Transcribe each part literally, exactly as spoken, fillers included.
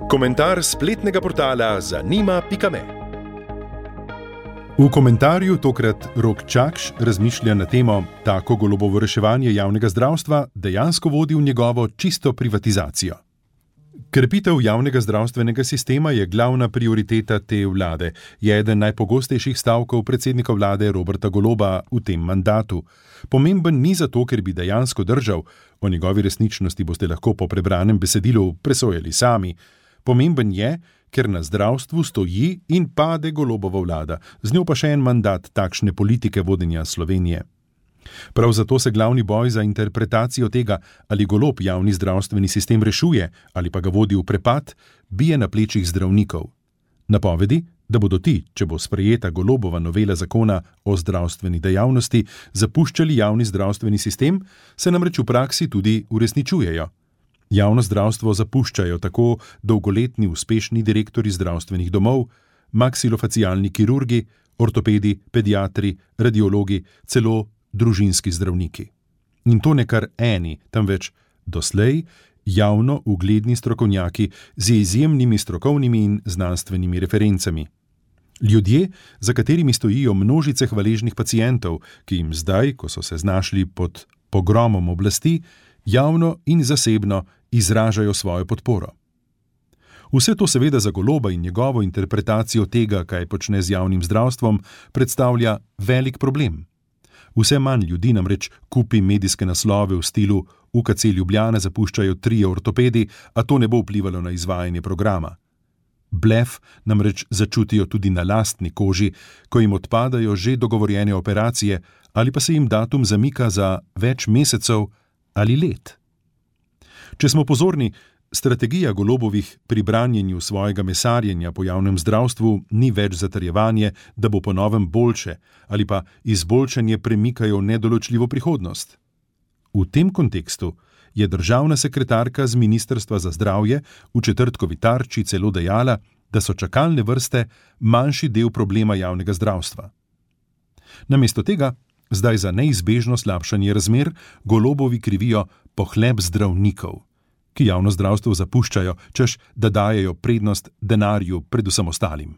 Komentar spletnega portala zanima pika me. V komentarju tokrat Rok Čakš razmišlja na temo: tako Golobovo reševanje javnega zdravstva dejansko vodi v njegovo čisto privatizacijo. Krepitev javnega zdravstvenega sistema je glavna prioriteta te vlade, je eden najpogostejših stavkov predsednika vlade Roberta Goloba v tem mandatu. Pomemben ni zato, ker bi dejansko držal, o njegovi resničnosti boste lahko po prebranem besedilu presojali sami. Pomemben je, ker na zdravstvu stoji in pade Golobova vlada, z njo pa še en mandat takšne politike vodenja Slovenije. Prav zato se glavni boj za interpretacijo tega, ali Golob javni zdravstveni sistem rešuje ali pa ga vodi v prepad, bije na plečih zdravnikov. Napovedi, da bodo ti, če bo sprejeta Golobova novela zakona o zdravstveni dejavnosti, zapuščali javni zdravstveni sistem, se namreč v praksi tudi uresničujejo. Javno zdravstvo zapuščajo tako dolgoletni uspešni direktorji zdravstvenih domov, maksilofacialni kirurgi, ortopedi, pediatri, radiologi, celo družinski zdravniki. In to ne kar eni, temveč doslej javno ugledni strokovnjaki z izjemnimi strokovnimi in znanstvenimi referencami. Ljudje, za katerimi stojijo množice hvaležnih pacientov, ki jim zdaj, ko so se znašli pod pogromom oblasti, javno in zasebno izražajo svojo podporo. Vse to seveda za Goloba in njegovo interpretacijo tega, kaj počne z javnim zdravstvom, predstavlja velik problem. Vse manj ljudi namreč kupi medijske naslove v stilu U K C Ljubljana zapuščajo trije ortopedi, a to ne bo vplivalo na izvajanje programa. Blef namreč začutijo tudi na lastni koži, ko jim odpadajo že dogovorjene operacije ali pa se jim datum zamika za več mesecev ali let. Če smo pozorni, strategija Golobovih pri branjenju svojega mesarjenja po javnem zdravstvu ni več zatrjevanje, da bo po novem boljše, ali pa izboljšanje premikajo v nedoločljivo prihodnost. V tem kontekstu je državna sekretarka z Ministrstva za zdravje v četrtkovi Tarči celo dejala, da so čakalne vrste manjši del problema javnega zdravstva. Namesto tega zdaj za neizbežno slabšanje razmer Golobovi krivijo pohlep zdravnikov, ki javno zdravstvo zapuščajo, češ da dajejo prednost denarju pred vsem ostalim.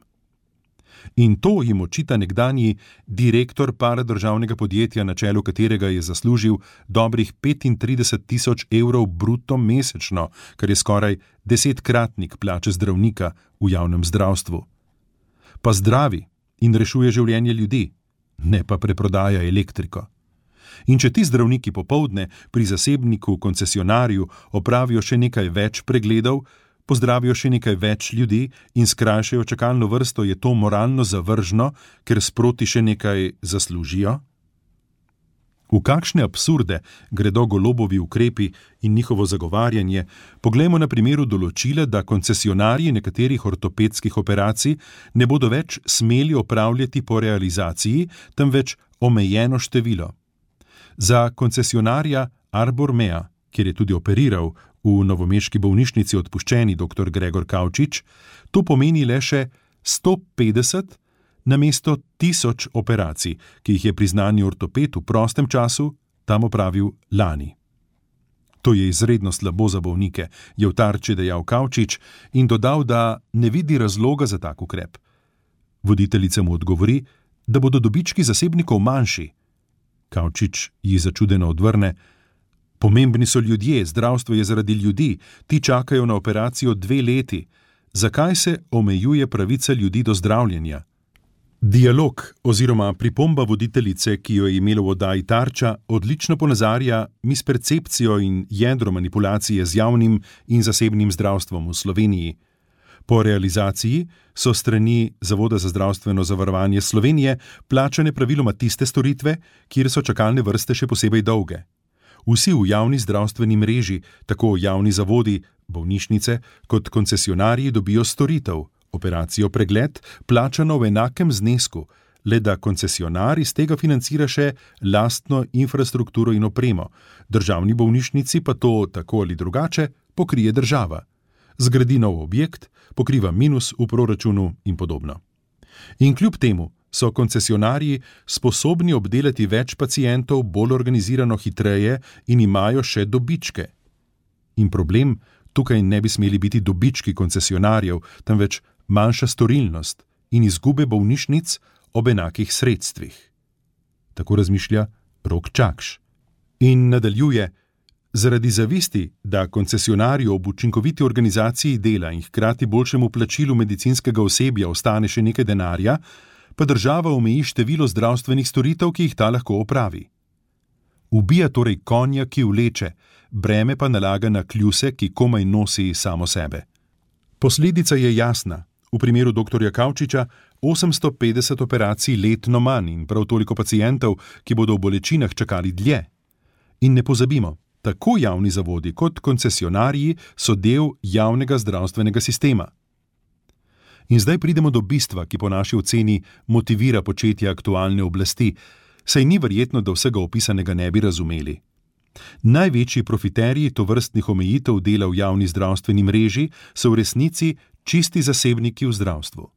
In to jim očita nekdanji direktor paradržavnega podjetja, na čelu katerega je zaslužil dobrih petintrideset tisoč evrov bruto mesečno, kar je skoraj desetkratnik plače zdravnika v javnem zdravstvu. Pa zdravi in rešuje življenje ljudi, ne pa preprodaja elektriko. In če ti zdravniki popoldne pri zasebniku koncesionarju opravijo še nekaj več pregledov, pozdravijo še nekaj več ljudi in skrajšajo čakalno vrsto, je to moralno zavržno, ker sproti še nekaj zaslužijo? V kakšne absurde gredo Golobovi ukrepi in njihovo zagovarjanje, poglejmo na primeru določila, da koncesionarji nekaterih ortopedskih operacij ne bodo več smeli opravljati po realizaciji, temveč omejeno število. Za koncesionarja Arbor Mea, kjer je tudi operiral v novomeški bolnišnici odpuščeni doktor Gregor Kavčič, to pomeni le še sto petdeset namesto tisoč operacij, ki jih je priznani ortoped v prostem času tam opravil lani. To je izredno slabo za bolnike, je v Tarči dejal Kavčič in dodal, da ne vidi razloga za tak ukrep. Voditeljica mu odgovori, da bodo dobički zasebnikov manjši. Kavčič ji začudeno odvrne: pomembni so ljudje, zdravstvo je zaradi ljudi, ti čakajo na operacijo dve leti. Zakaj se omejuje pravica ljudi do zdravljenja? Dialog oziroma pripomba voditeljice, ki jo je imelo v oddaji Tarča, odlično ponazarja mispercepcijo in jedro manipulacije z javnim in zasebnim zdravstvom v Sloveniji. Po realizaciji so strani Zavoda za zdravstveno zavarovanje Slovenije plačane praviloma tiste storitve, kjer so čakalne vrste še posebej dolge. Vsi v javni zdravstveni mreži, tako javni zavodi, bolnišnice, kot koncesionarji dobijo storitev, operacijo pregled, plačano v enakem znesku, le da koncesionar iz tega financira še lastno infrastrukturo in opremo, državni bolnišnici pa to, tako ali drugače, pokrije država. Zgradi nov objekt, pokriva minus v proračunu in podobno. In kljub temu so koncesionarji sposobni obdelati več pacientov bolj organizirano hitreje in imajo še dobičke. In problem Tukaj ne bi smeli biti dobički koncesionarjev, temveč manjša storilnost in izgube bolnišnic ob enakih sredstvih. Tako razmišlja Rok Čakš. In nadaljuje: zaradi zavisti, da koncesionarju ob učinkoviti organizaciji dela in hkrati boljšemu plačilu medicinskega osebja ostane še nekaj denarja, pa država omeji število zdravstvenih storitev, ki jih ta lahko opravi. Ubija torej konja, ki vleče, breme pa nalaga na kljuse, ki komaj nosi samo sebe. Posledica je jasna. V primeru doktorja Kavčiča osemsto petdeset operacij letno manj in prav toliko pacientov, ki bodo v bolečinah čakali dlje. In ne pozabimo, tako javni zavodi kot koncesionarji so del javnega zdravstvenega sistema. In zdaj pridemo do bistva, ki po naši oceni motivira početje aktualne oblasti, saj ni verjetno, da vsega opisanega ne bi razumeli. Največji profiterji tovrstnih omejitev dela v javni zdravstveni mreži so v resnici čisti zasebniki v zdravstvu.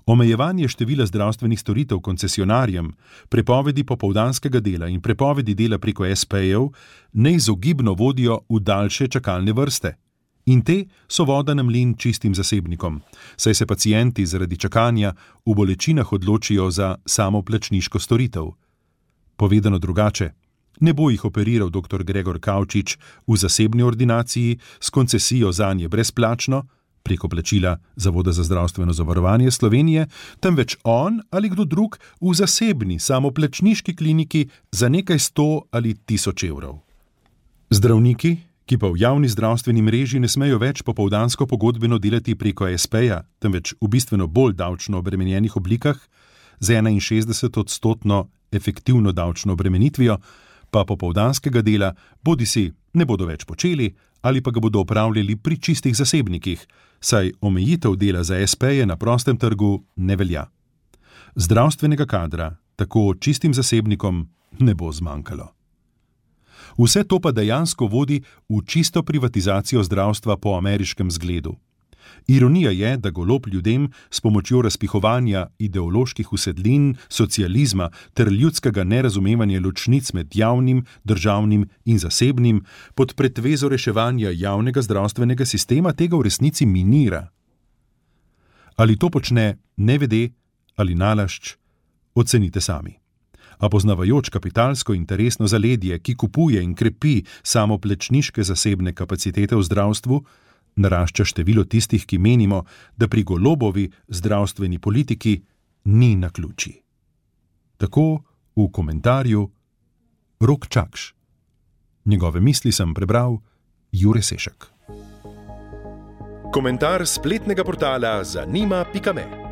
Omejevanje števila zdravstvenih storitev koncesionarjem, prepovedi popoldanskega dela in prepovedi dela preko es pe-jev neizogibno vodijo v daljše čakalne vrste. In te so voda na mlin čistim zasebnikom, saj se pacienti zaradi čakanja v bolečinah odločijo za samoplačniško storitev. Povedano drugače, ne bo jih operiral doktor Gregor Kavčič v zasebni ordinaciji s koncesijo zanje brezplačno, preko plačila Zavoda za zdravstveno zavarovanje Slovenije, temveč on ali kdo drug v zasebni samoplačniški kliniki za nekaj sto ali tisoč evrov. Zdravniki, ki pa v javni zdravstveni mreži ne smejo več popoldansko pogodbeno delati preko es pe-ja, temveč v bistveno bolj davčno obremenjenih oblikah, z enainšestdeset odstotno efektivno davčno obremenitvijo, pa popoldanskega dela bodisi ne bodo več počeli ali pa ga bodo opravljali pri čistih zasebnikih, saj omejitev dela za es pe-je na prostem trgu ne velja. Zdravstvenega kadra tako čistim zasebnikom ne bo zmanjkalo. Vse to pa dejansko vodi v čisto privatizacijo zdravstva po ameriškem zgledu. Ironija je, da Golob ljudem s pomočjo razpihovanja ideoloških usedlin, socializma ter ljudskega nerazumevanja ločnic med javnim, državnim in zasebnim pod pretvezo reševanja javnega zdravstvenega sistema tega v resnici minira. Ali to počne nevede ali nalašč, ocenite sami. A poznavajoč kapitalsko interesno zaledje, ki kupuje in krepi samoplačniške zasebne kapacitete v zdravstvu, narašča število tistih, ki menimo, da pri Golobovi zdravstveni politiki ni naključij. Tako v komentarju Rok Čakš. Njegove misli sem prebral Jure Sešek. Komentar spletnega portala zanima pika me.